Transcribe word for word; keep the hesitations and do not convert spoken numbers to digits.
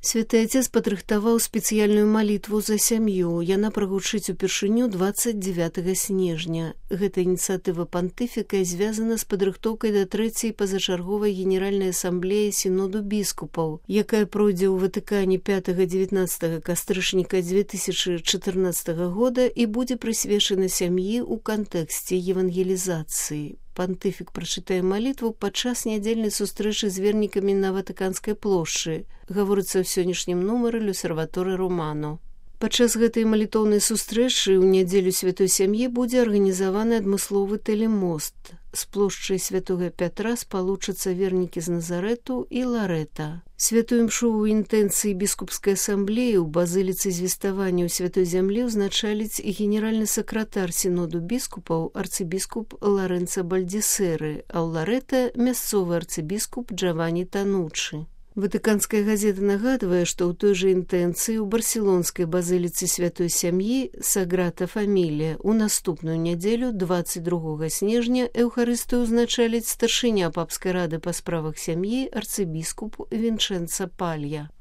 Святы Отец падрыхтаваў спецыяльную малітву за сям'ю. Яна прагучыць упершыню двадцать девятого снежня. Гэта ініцыятыва пантыфіка звязана з падрыхтоўкай да трэцяй пазачарговай генеральнай асамблеі сіноду біскупаў, якая пройдзе ў Ватыкане пятага-дзевятнаццатага кастрычніка две тысячи чатырнаццатага года і будзе прысвечана сям'і ў кантэксце евангелізацыі. Пантыфік прачытае малітву падчас нядзельнай сустрэчы з вернікамі на Ватыканскай плошчы, гаворыцца ў сённяшнім нумары Люсерваторы Романо. Падчас гэтай малітоўнай сустрэчы ў нядзелю святой сям'і будзе арганізаваны адмысловы тэлемост. З плошчай святога Пятра спалучацца вернікі з Назарэту і Ларэта. Святую імшу ў інтэнцыі біскупскай асамблеі ў базыліцы звеставання ў святой зямлі ўзначаліць і генеральны сакратар сіноду біскупаў арцыбіскуп Ларэнца Бальдзесеры, а ў Ларэта мясцовы арцыбіскуп Джавані Танучы. Ватыканская газета нагадвае, што ў той жа інтэнцыі ў барселонскай базыліцы святой сям'і Саграта Фамілія ў наступную нядзелю двадцать другога снежня эўхарыстыю ўзначаліць старшыня папскай рады па справах сям'і арцыбіскуп Вінчэнца Палья.